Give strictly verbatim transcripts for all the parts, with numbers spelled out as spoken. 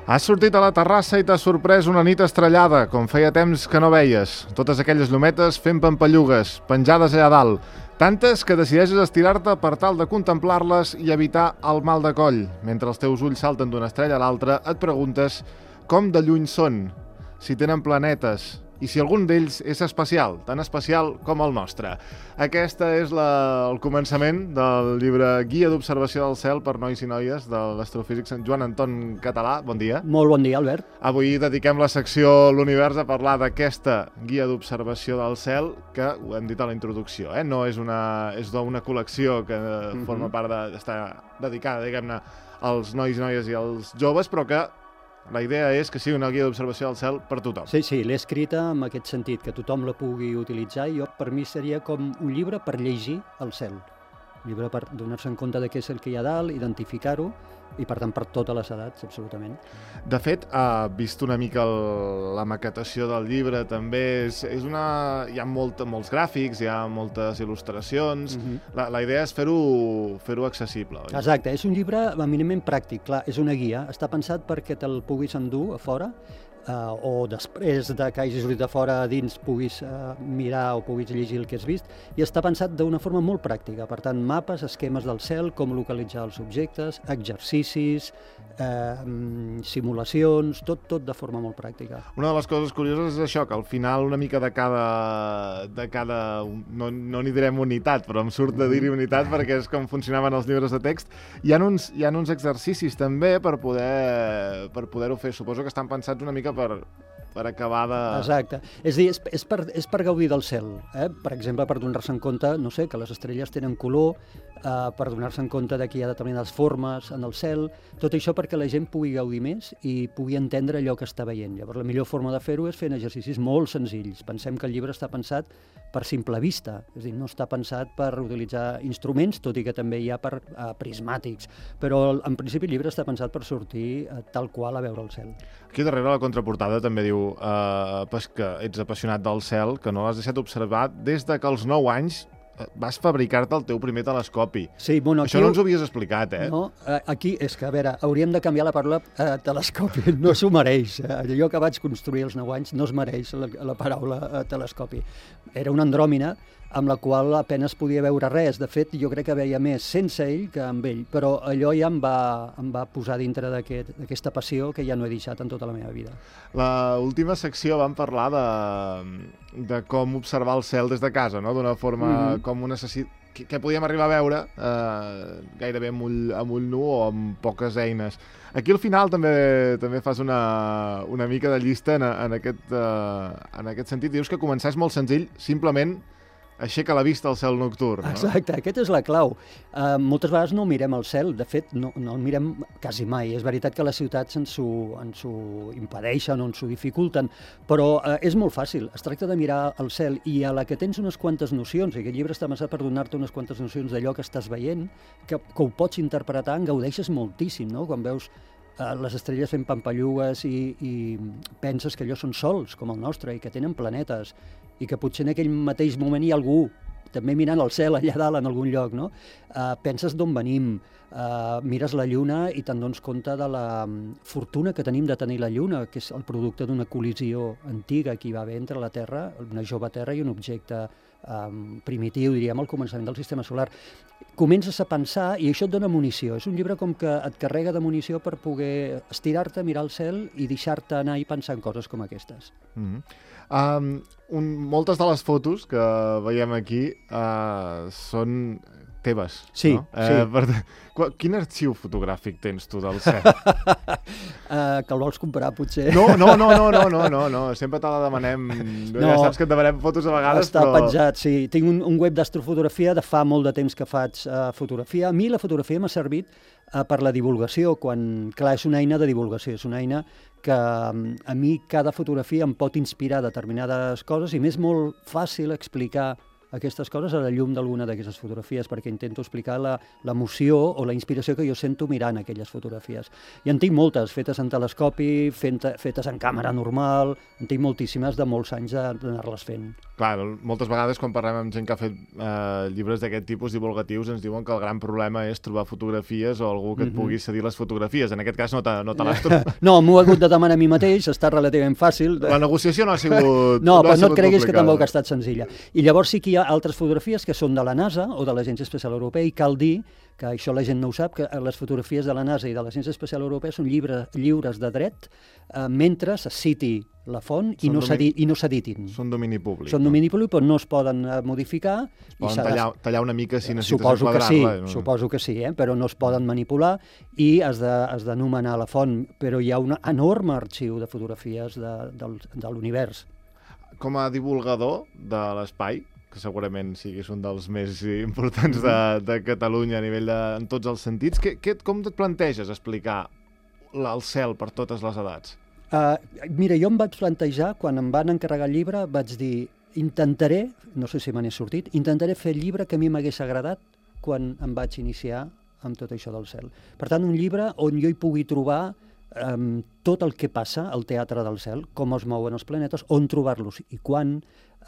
Has sortit a la terrassa i t'ha sorprès una nit estrellada, com feia temps que no veies. Totes aquelles llumetes fent pampallugues, penjades allà dalt. Tantes que decideixes estirar-te per tal de contemplar-les i evitar el mal de coll. Mentre els teus ulls salten d'una estrella a l'altra, et preguntes com de lluny són, si tenen planetes i si algun d'ells és especial, tan especial com el nostre. Aquesta és la, el començament del llibre Guia d'observació del cel per nois i noies de l'astrofísic Sant Joan Anton Català. Bon dia. Molt bon dia, Albert. Avui dediquem la secció L'Univers a parlar d'aquesta guia d'observació del cel, que ho hem dit a la introducció, eh? No és una, és una col·lecció que mm-hmm. forma part de, està dedicada, diguem-ne, als nois i noies i als joves, però que la idea és que sigui una guia d'observació del cel per tothom. Sí, sí, l'he escrita en aquest sentit, que tothom la pugui utilitzar, i jo, per mi seria com un llibre per llegir el cel. Un llibre per donar-se en compte de què és el que hi ha dalt, identificar-ho, i per tant per totes les edats, absolutament. De fet, ha vist una mica el, la maquetació del llibre, també és, és una... hi ha molt, molts gràfics, hi ha moltes il·lustracions, mm-hmm. la, la idea és fer-ho fer-ho accessible, oi? Exacte, és un llibre eminentment pràctic, clar, és una guia, està pensat perquè te'l puguis endur a fora, Uh, o després de que hagis sortit de fora a dins puguis uh, mirar o puguis llegir el que has vist, i està pensat d'una forma molt pràctica, per tant, mapes, esquemes del cel, com localitzar els objectes, exercicis, uh, simulacions, tot, tot de forma molt pràctica. Una de les coses curioses és això, que al final una mica de cada... de cada no no n'hi direm unitat, però em surt de dir-hi unitat perquè és com funcionaven els llibres de text. Hi ha uns, hi ha uns exercicis també per poder per poder-ho fer. Suposo que estan pensats una mica per, per acabar de... Exacte. És a dir, és, és, per, és per gaudir del cel. Eh? Per exemple, per donar-se en compte, no sé, que les estrelles tenen color, eh, per donar-se en compte que hi ha determinades formes en el cel, tot això perquè la gent pugui gaudir més i pugui entendre allò que està veient. Llavors, la millor forma de fer-ho és fent exercicis molt senzills. Pensem que el llibre està pensat per simple vista, és a dir, no està pensat per utilitzar instruments, tot i que també hi ha per eh, prismàtics, però en principi el llibre està pensat per sortir eh, tal qual a veure el cel. Aquí darrere la contraportada també diu eh, pues que ets apassionat del cel, que no l'has deixat observar des de que als nou anys vas fabricar-te el teu primer telescopi. Sí, bueno, això aquí... no ens ho havies explicat, eh? No, aquí és que, a veure, hauríem de canviar la paraula eh, telescopi, no s'ho mereix. Allò que vaig construir als nou anys no es mereix la, la paraula eh, telescopi. Era una andròmina amb la qual apenas podia veure res. De fet, jo crec que veia més sense ell que amb ell, però allò ja em va, em va posar dintre d'aquesta aquest, passió que ja no he deixat en tota la meva vida. La última secció vam parlar de, de com observar el cel des de casa, no? D'una forma mm-hmm. com un necessit... que, que podíem arribar a veure eh, gairebé amb ull, amb ull nu o amb poques eines. Aquí al final també també fas una, una mica de llista en, en, aquest, eh, en aquest sentit. Dius que començar és molt senzill, simplement aixeca la vista al cel nocturn, no? Exacte, aquesta és la clau. Uh, moltes vegades no mirem el cel, de fet no, no el mirem quasi mai. És veritat que les ciutats ens ho, ens ho impedeixen o ens ho dificulten, però uh, és molt fàcil. Es tracta de mirar el cel i a la que tens unes quantes nocions, i aquest llibre està pensat per donar-te unes quantes nocions d'allò que estàs veient, que, que ho pots interpretar, en gaudeixes moltíssim, no? Quan veus uh, les estrelles fent pampallugues i, i penses que allò són sols, com el nostre, i que tenen planetes, i que potser en aquell mateix moment hi ha algú també mirant el cel allà dalt en algun lloc, no? Uh, penses d'on venim, uh, mires la Lluna i te'n dones compte de la fortuna que tenim de tenir la Lluna, que és el producte d'una col·lisió antiga que hi va haver entre la Terra, una jove Terra i un objecte um, primitiu, diríem, al començament del sistema solar. Comences a pensar i això et dona munició. És un llibre com que et carrega de munició per poder estirar-te, mirar el cel i deixar-te anar i pensar en coses com aquestes. Mm-hmm. Um, un, moltes de les fotos que veiem aquí uh, són teves, sí, no? Sí. Eh, per, quin arxiu fotogràfic tens tu del cel? uh, que el vols comprar, potser? No, no, no, no, no, no, no, no. Sempre te la demanem. No, ja saps que et demanem fotos a vegades, està però... Està penjat, sí. Tinc un, un web d'astrofotografia, de fa molt de temps que faig uh, fotografia. A mi la fotografia m'ha servit uh, per la divulgació, quan, clar, és una eina de divulgació, és una eina que a mi cada fotografia em pot inspirar determinades coses i m'és molt fàcil explicar aquestes coses a la llum d'alguna d'aquestes fotografies, perquè intento explicar la- l'emoció o la inspiració que jo sento mirant aquelles fotografies. I en tinc moltes, fetes en telescopi, fent- fetes en càmera normal, en tinc moltíssimes de molts anys de- d'anar-les fent. Clar, moltes vegades quan parlem amb gent que ha fet eh, llibres d'aquest tipus divulgatius ens diuen que el gran problema és trobar fotografies o algú que et Mhm. pugui cedir les fotografies. En aquest cas no te, no te l'has trobat. No, m'ho he hagut de demanar a mi mateix, està relativament fàcil. La negociació no ha sigut No, ha però no et sigut creguis que complicada. tampoc ha estat senzilla. I llavors sí que hi ha altres fotografies que són de la NASA o de l'Agència Espacial Europea, i cal dir que això la gent no ho sap, que les fotografies de la NASA i de l'Agència Espacial Europea són llibre, lliures de dret eh, mentre se citi la font i Són no, domini- s'edi- i no s'editin. Són domini públic. Són no? domini públic, però no es poden eh, modificar. Es i poden s'ha de- tallar, tallar una mica si necessites Suposo que sí, enquadrar-la. no? suposo que sí, eh? Però no es poden manipular i has de, has d'anomenar la font, però hi ha un enorme arxiu de fotografies de, del, de l'univers. Com a divulgador de l'espai, que segurament siguis un dels més importants de, de Catalunya a nivell de, en tots els sentits, que, que, com et planteges explicar la- el cel per totes les edats? Uh, mira, jo em vaig plantejar, quan em van encarregar el llibre, vaig dir, intentaré, no sé si me n'he sortit, intentaré fer el llibre que a mi m'hagués agradat quan em vaig iniciar amb tot això del cel. Per tant, un llibre on jo hi pugui trobar um, tot el que passa al teatre del cel, com es mouen els planetes, on trobar-los i quan,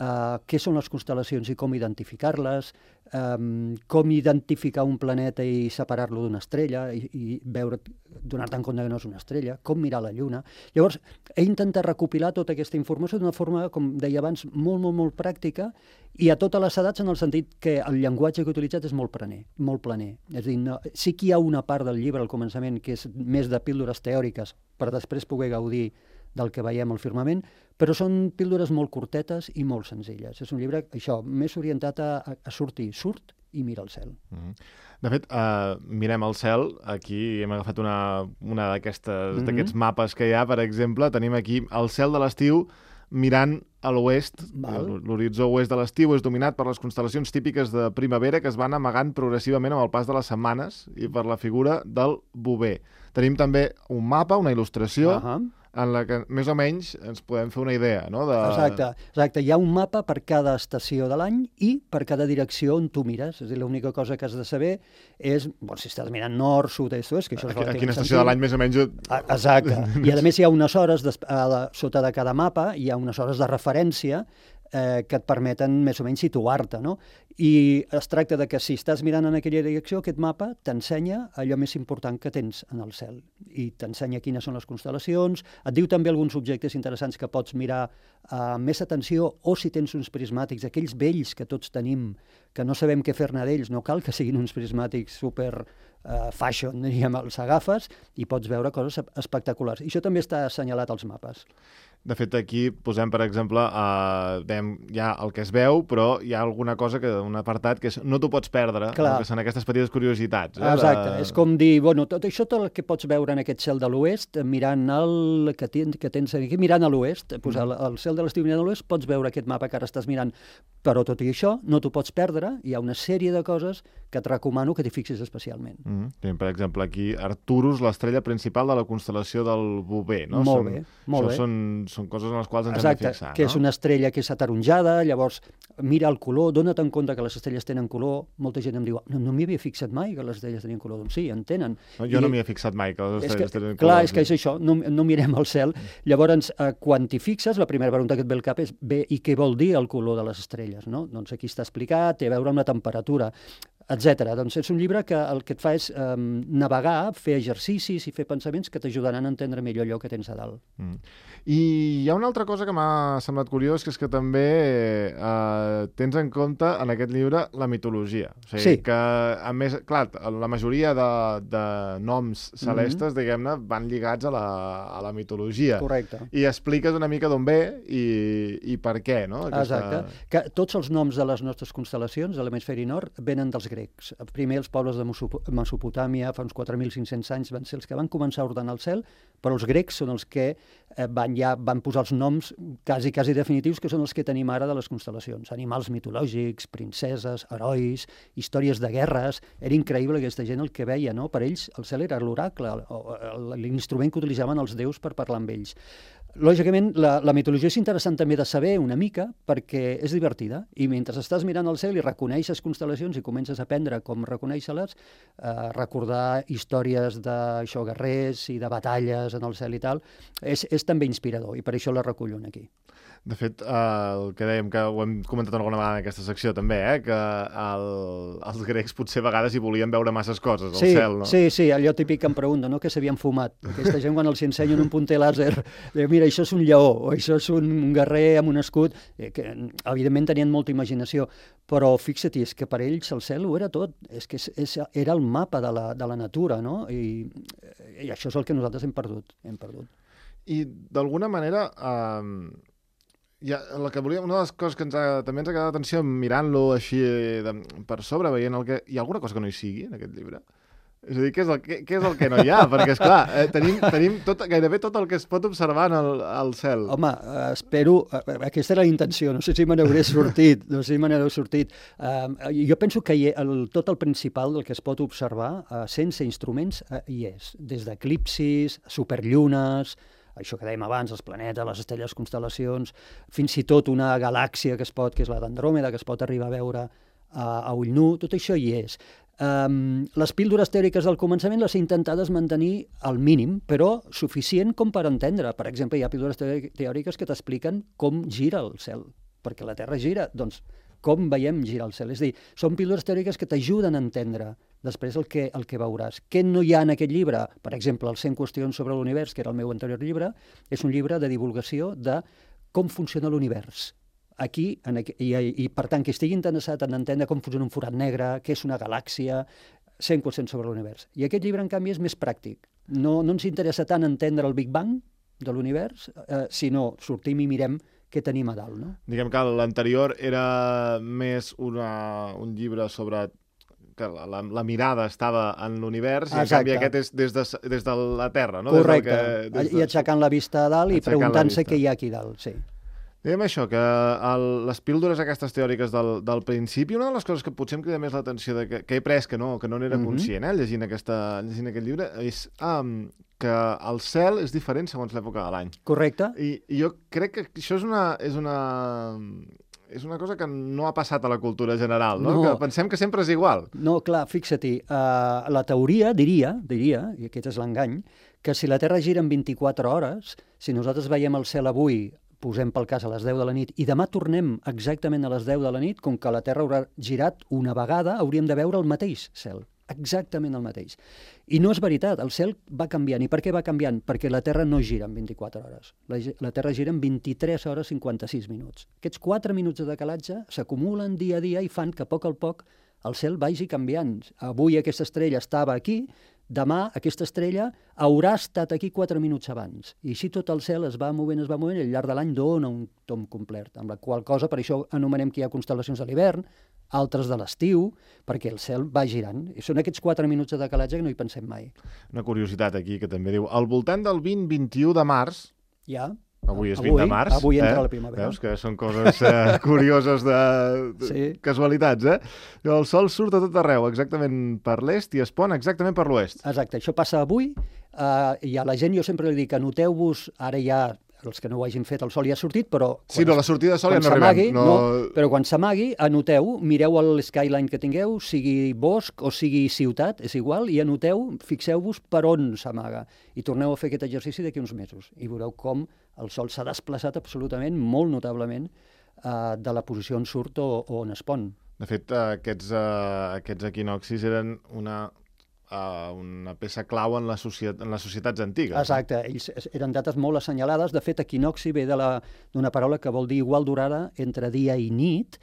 uh, què són les constel·lacions i com identificar-les, um, com identificar un planeta i separar-lo d'una estrella i, i veure, donar-te en compte que no és una estrella, com mirar la Lluna. Llavors, he intentat recopilar tota aquesta informació d'una forma, com deia abans, molt, molt, molt pràctica i a totes les edats, en el sentit que el llenguatge que he utilitzat és molt planer, molt planer. És a dir, no, sí que hi ha una part del llibre al començament que és més de píldores teòriques per després poder gaudir del que veiem al firmament, però són píldores molt curtetes i molt senzilles. És un llibre, això, més orientat a, a, a sortir, surt i mira el cel. Mm -hmm. De fet, uh, mirem el cel, aquí hem agafat una, una d'aquests mm -hmm. mapes que hi ha, per exemple, tenim aquí el cel de l'estiu mirant a l'oest. L'horitzó oest de l'estiu és dominat per les constel·lacions típiques de primavera que es van amagant progressivament amb el pas de les setmanes i per la figura del bover. Tenim també un mapa, una il·lustració, uh -huh. en la que més o menys ens podem fer una idea, no? De... Exacte, exacte. Hi ha un mapa per cada estació de l'any i per cada direcció on tu mires. És a dir, l'única cosa que has de saber és, bueno, si estàs mirant nord, sud, est, oest, que això és a, a quina estació de l'any més o menys... Exacte. I a més hi ha unes hores, des, a la, sota de cada mapa, hi ha unes hores de referència eh, que et permeten més o menys situar-te, no? I es tracta de que si estàs mirant en aquella direcció, aquest mapa t'ensenya allò més important que tens en el cel i t'ensenya quines són les constel·lacions, et diu també alguns objectes interessants que pots mirar amb més atenció, o si tens uns prismàtics, aquells vells que tots tenim, que no sabem què fer-ne d'ells, no cal que siguin uns prismàtics super uh, fashion, diríem, els agafes i pots veure coses espectaculars. I això també està assenyalat als mapes. De fet, aquí posem, per exemple, eh, dèiem, hi ha el que es veu, però hi ha alguna cosa, que un apartat, que és, no t'ho pots perdre, no? Que són aquestes petites curiositats. Eh, Exacte, de... és com dir, bueno, tot això, tot el que pots veure en aquest cel de l'oest, mirant el que, tens, que tens aquí, mirant a l'oest, pues, el, el cel de l'estiu mirant a l'oest, pots veure aquest mapa que ara estàs mirant, però tot i això no t'ho pots perdre, hi ha una sèrie de coses que et recomano que t'hi fixis especialment. Mm -hmm. Per exemple, aquí, Arcturus, l'estrella principal de la constel·lació del Bover, no? Molt són, bé, molt això bé. Són, són coses en les quals ens Exacte, hem de fixar, que no? és una estrella que és ataronjada, llavors mira el color, dona't en compte que les estrelles tenen color, molta gent em diu, no, no m'hi havia fixat mai que les estrelles tenien color, doncs sí, en tenen. No, jo I, no m'hi he fixat mai que les estrelles que, tenen clar, color. és que és això, no, no mirem al cel. Llavors, eh, quan t'hi fixes, la primera pregunta que et ve al cap és, bé, i què vol dir el color de les estrelles, no? Doncs aquí està explicat, té a veure amb la temperatura, etcètera. Doncs és un llibre que el que et fa és eh, navegar, fer exercicis i fer pensaments que t'ajudaran a entendre millor allò que tens a dalt. Mm. I hi ha una altra cosa que m'ha semblat curiós, que és que també eh, tens en compte en aquest llibre la mitologia. O sigui, sí. que, a més, clar, la majoria de, de noms celestes, mm-hmm. diguem-ne, van lligats a la, a la mitologia. Correcte. I expliques una mica d'on ve i, i per què, no? Aquesta... Exacte. Que tots els noms de les nostres constel·lacions de l'hemisferi nord venen dels grecs. Primer els pobles de Mesopotàmia, fa uns quatre mil cinc-cents anys, van ser els que van començar a ordenar el cel, però els grecs són els que eh, van, ja van posar els noms quasi, quasi definitius, que són els que tenim ara de les constel·lacions. Animals mitològics, princeses, herois, històries de guerres. Era increïble aquesta gent el que veia, no? Per ells el cel era l'oracle, l'instrument que utilitzaven els déus per parlar amb ells. lògicament, la, la mitologia és interessant també de saber una mica perquè és divertida i mentre estàs mirant el cel i reconeixes constel·lacions i comences a aprendre com reconèixer-les, eh, recordar històries d'això, guerrers i de batalles en el cel i tal, és, és també inspirador i per això la recullo aquí. De fet, eh, el que dèiem, que ho hem comentat alguna vegada en aquesta secció també, eh, que el, els grecs potser a vegades hi volien veure masses coses al sí, cel, no? Sí, sí, allò típic que em pregunta, no?, que s'havien fumat. Aquesta gent quan els ensenyen un punter làser, diu, mira, això és un lleó, o això és un guerrer amb un escut, eh, que evidentment tenien molta imaginació, però fixa't, és que per ells el cel ho era tot, és que és, és, era el mapa de la, de la natura, no? I, I això és el que nosaltres hem perdut. Hem perdut. I d'alguna manera... Eh, Ja, la que volia, una de les coses que ens ha, també ens ha quedat atenció mirant-lo així de, per sobre, veient el que... Hi ha alguna cosa que no hi sigui en aquest llibre? És a dir, què és el, què, què és el que no hi ha? Perquè, esclar, eh, tenim, tenim tot, gairebé tot el que es pot observar en el, al cel. Home, eh, espero... Eh, aquesta era la intenció, no sé si me n'hauré sortit, no sé si me n'hauré sortit. Eh, jo penso que hi, el, tot el principal del que es pot observar, eh, sense instruments, eh, hi és. Des d'eclipsis, superllunes... això que dèiem abans, els planetes, les estrelles, constel·lacions, fins i tot una galàxia que es pot, que és la d'Andròmeda, que es pot arribar a veure a, a ull nu, tot això hi és. Um, les píldores teòriques del començament les he intentades mantenir al mínim, però suficient com per entendre. Per exemple, hi ha píldores teòriques que t'expliquen com gira el cel, perquè la Terra gira, doncs com veiem girar el cel. És a dir, són píldores teòriques que t'ajuden a entendre després el que, el que veuràs. Què no hi ha en aquest llibre? Per exemple, el cent qüestions sobre l'univers, que era el meu anterior llibre, és un llibre de divulgació de com funciona l'univers. Aquí, en aqu i, i per tant, que estigui interessat en entendre com funciona un forat negre, què és una galàxia, cent qüestions sobre l'univers. I aquest llibre, en canvi, és més pràctic. No, no ens interessa tant entendre el Big Bang de l'univers, eh, sinó sortim i mirem què tenim a dalt, no? Diguem que l'anterior era més una, un llibre sobre que la, la, la mirada estava en l'univers i en canvi aquest és des de, des de la Terra, no? Correcte, des del que, des de... i aixecant la vista a dalt i preguntant-se què hi ha aquí dalt, sí. Diguem això, que el, les píldores aquestes teòriques del, del principi, una de les coses que potser em crida més l'atenció que, que he pres, que no, que no n'era Mhm. conscient, eh, llegint, aquesta, llegint aquest llibre, és um, que el cel és diferent segons l'època de l'any. Correcte. I, I jo crec que això és una, és una, és una cosa que no ha passat a la cultura general, no? No. Que pensem que sempre és igual. No, clar, fixa-t'hi, uh, la teoria diria, diria, i aquest és l'engany, que si la Terra gira en vint-i-quatre hores, si nosaltres veiem el cel avui, posem pel cas a les deu de la nit, i demà tornem exactament a les deu de la nit, com que la Terra haurà girat una vegada, hauríem de veure el mateix cel, exactament el mateix. I no és veritat, el cel va canviant. I per què va canviant? Perquè la Terra no gira en vint-i-quatre hores. La, la Terra gira en vint-i-tres hores cinquanta-sis minuts. Aquests quatre minuts de decalatge s'acumulen dia a dia i fan que a poc a poc el cel vagi canviant. Avui aquesta estrella estava aquí, demà aquesta estrella haurà estat aquí quatre minuts abans. I així tot el cel es va movent, es va movent, i al llarg de l'any dona un tom complet, amb la qual cosa, per això anomenem que hi ha constel·lacions de l'hivern, altres de l'estiu, perquè el cel va girant. I són aquests quatre minuts de decalatge que no hi pensem mai. Una curiositat aquí que també diu, al voltant del vint vint i u de març, Ja. avui és Avui, vint de març, avui entra eh? la primavera. Veus que són coses eh, curioses de, de Sí. casualitats, eh? El sol surt a tot arreu, exactament per l'est, i es pon exactament per l'oest. Exacte, això passa avui, eh, i a la gent jo sempre li dic, anoteu-vos, ara ja, els que no ho hagin fet, el sol ja ha sortit, però... Sí, no, la sortida de sol ja quan no s'amagui, arribem. No... no, però quan s'amagui, anoteu, mireu el skyline que tingueu, sigui bosc o sigui ciutat, és igual, i anoteu, fixeu-vos per on s'amaga. I torneu a fer aquest exercici d'aquí uns mesos. I veureu com el sol s'ha desplaçat absolutament, molt notablement, eh, de la posició on surt o, o on es pon. De fet, eh, aquests, eh, aquests equinoccis eren una, uh, una peça clau en, la societat, en les societats antigues. Exacte, ells eren dates molt assenyalades. De fet, equinoxi ve de la- d'una paraula que vol dir igual durada entre dia i nit.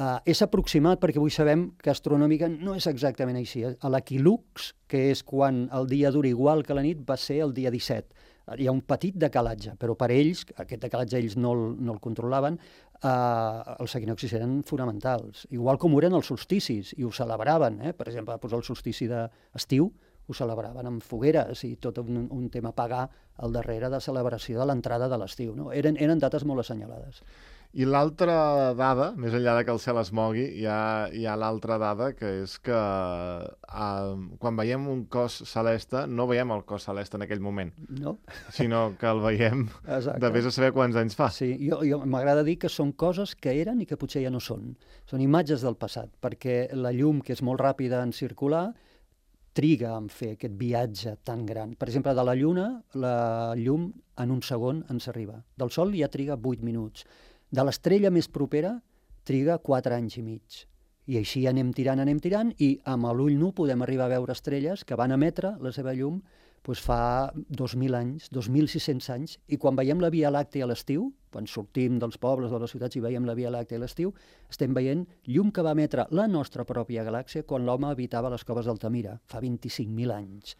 Uh, és aproximat perquè avui sabem que astronòmica no és exactament així. A l'equilux, que és quan el dia dura igual que la nit, va ser el dia disset. Hi ha un petit decalatge, però per ells, aquest decalatge ells no el, no el controlaven, eh, els equinoxis eren fonamentals. Igual com ho eren els solsticis, i ho celebraven. Eh? Per exemple, doncs el solstici d'estiu ho celebraven amb fogueres i tot un, un tema pagà al darrere de celebració de l'entrada de l'estiu. No? Eren, eren dates molt assenyalades. I l'altra dada, més enllà de que el cel es mogui, hi ha, hi ha l'altra dada, que és que uh, quan veiem un cos celeste, no veiem el cos celeste en aquell moment, no? Sinó que el veiem Exacte. de vés a saber quants anys fa. Sí, jo, jo m'agrada dir que són coses que eren i que potser ja no són. Són imatges del passat, perquè la llum, que és molt ràpida en circular, triga en fer aquest viatge tan gran. Per exemple, de la Lluna, la llum en un segon ens arriba. Del Sol ja triga vuit minuts. De l'estrella més propera triga quatre anys i mig. I així anem tirant, anem tirant, i amb l'ull nu podem arribar a veure estrelles que van emetre la seva llum doncs fa dos mil anys, dos mil sis-cents anys, i quan veiem la Via Làctea a l'estiu, quan sortim dels pobles o de les ciutats i veiem la Via Làctea a l'estiu, estem veient llum que va emetre la nostra pròpia galàxia quan l'home habitava les coves d'Altamira, fa vint-i-cinc mil anys.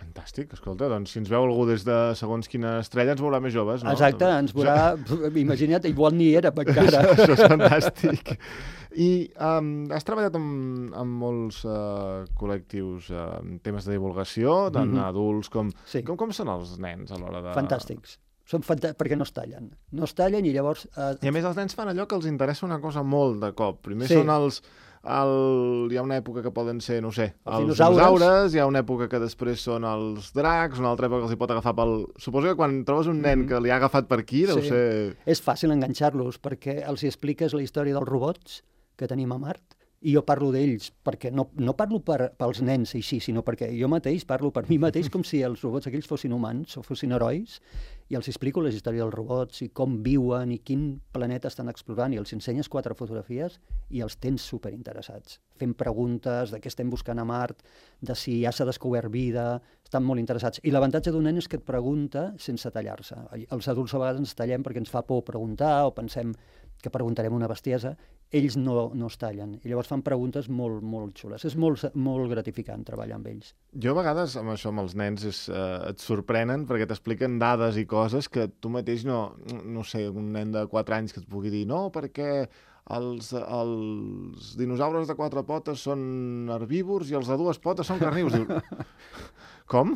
Fantàstic, escolta, doncs si ens veu algú des de segons quina estrella ens veurà més joves, no? Exacte, ens veurà, imagina't, igual ni era encara. Això, això és fantàstic. I um, has treballat amb, amb molts uh, col·lectius uh, en temes de divulgació, tant mm -hmm. adults com... Sí. com... Com són els nens a l'hora de... Fantàstics. Són fantàstics perquè no es tallen. No es tallen i llavors... Eh... I a més els nens fan allò que els interessa una cosa molt de cop. Primer sí. són els... El... Hi ha una època que poden ser, no ho sé, els, els dinosaures. dinosaures, hi ha una època que després són els dracs, una altra època que els hi pot agafar pel... Suposo que quan trobes un nen mm -hmm. que li ha agafat per aquí, deu sí. ser... És fàcil enganxar-los, perquè els hi expliques la història dels robots que tenim a Mart, i jo parlo d'ells, perquè no, no parlo per, pels nens així, sinó perquè jo mateix parlo per mi mateix com si els robots aquells fossin humans o fossin herois, i els explico la història dels robots i com viuen i quin planeta estan explorant, i els ensenyes quatre fotografies i els tens superinteressats, fent preguntes de què estem buscant a Mart, de si ja s'ha descobert vida, estan molt interessats. I l'avantatge d'un nen és que et pregunta sense tallar-se. Els adults a vegades ens tallem perquè ens fa por preguntar o pensem que preguntarem una bestiesa, ells no, no es tallen. I llavors fan preguntes molt, molt xules. És molt, molt gratificant treballar amb ells. Jo a vegades, amb això, amb els nens, és, eh, et sorprenen perquè t'expliquen dades i coses que tu mateix no... No sé, un nen de quatre anys que et pugui dir no, perquè els, els dinosaures de quatre potes són herbívors i els de dues potes són carnívors. Diu, com?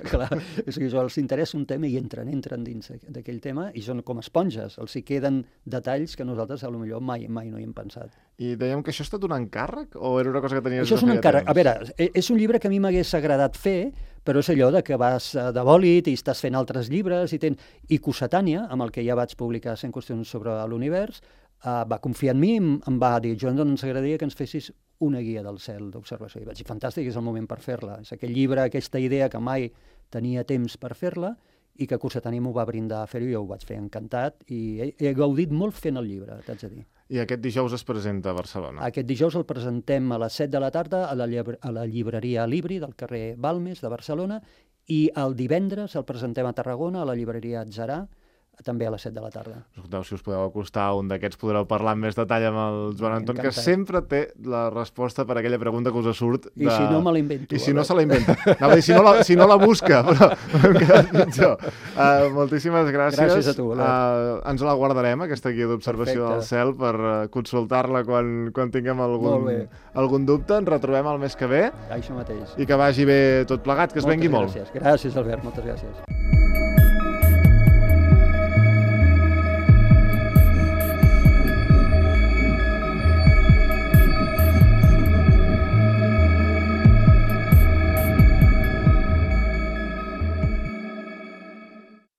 Clar, és que això els interessa un tema i entren, entren dins d'aquell tema i són com esponges, els hi queden detalls que nosaltres potser mai, mai no hi hem pensat. I dèiem que això ha estat un encàrrec o era una cosa que tenies això és un encàrrec. A veure, és un llibre que a mi m'hagués agradat fer, però és allò de que vas de bòlit i estàs fent altres llibres i tens... I Cossetània, amb el que ja vaig publicar cent qüestions sobre l'univers, Uh, va confiar en mi, em, em va dir Joan, doncs ens agradaria que ens fessis una guia del cel d'observació. I vaig dir, fantàstic, és el moment per fer-la. És aquell llibre, aquesta idea que mai tenia temps per fer-la i que Cossetània m'ho va brindar a fer-ho i jo ho vaig fer encantat i he, he gaudit molt fent el llibre, t'haig de dir. I aquest dijous es presenta a Barcelona? Aquest dijous el presentem a les set de la tarda a la, a la llibreria Libri del carrer Balmes de Barcelona i el divendres el presentem a Tarragona a la llibreria Atzarà, també a les set de la tarda. Escolteu, si us podeu acostar a un d'aquests podreu parlar amb més detall amb el Joan Anton, Encantat. Que sempre té la resposta per a aquella pregunta que us surt. De... I si no me la invento. I si no se la inventa. Anava a dir, si no la, si no la busca, però hem quedat pitjor. Uh, moltíssimes gràcies. Gràcies a tu, uh, ens la guardarem, aquesta guia d'observació del cel, per uh, consultar-la quan, quan tinguem algun, algun dubte. Ens retrobem el mes que ve. Això mateix. I que vagi bé tot plegat, que es moltes vengui gràcies. molt. Gràcies, Albert, moltes gràcies.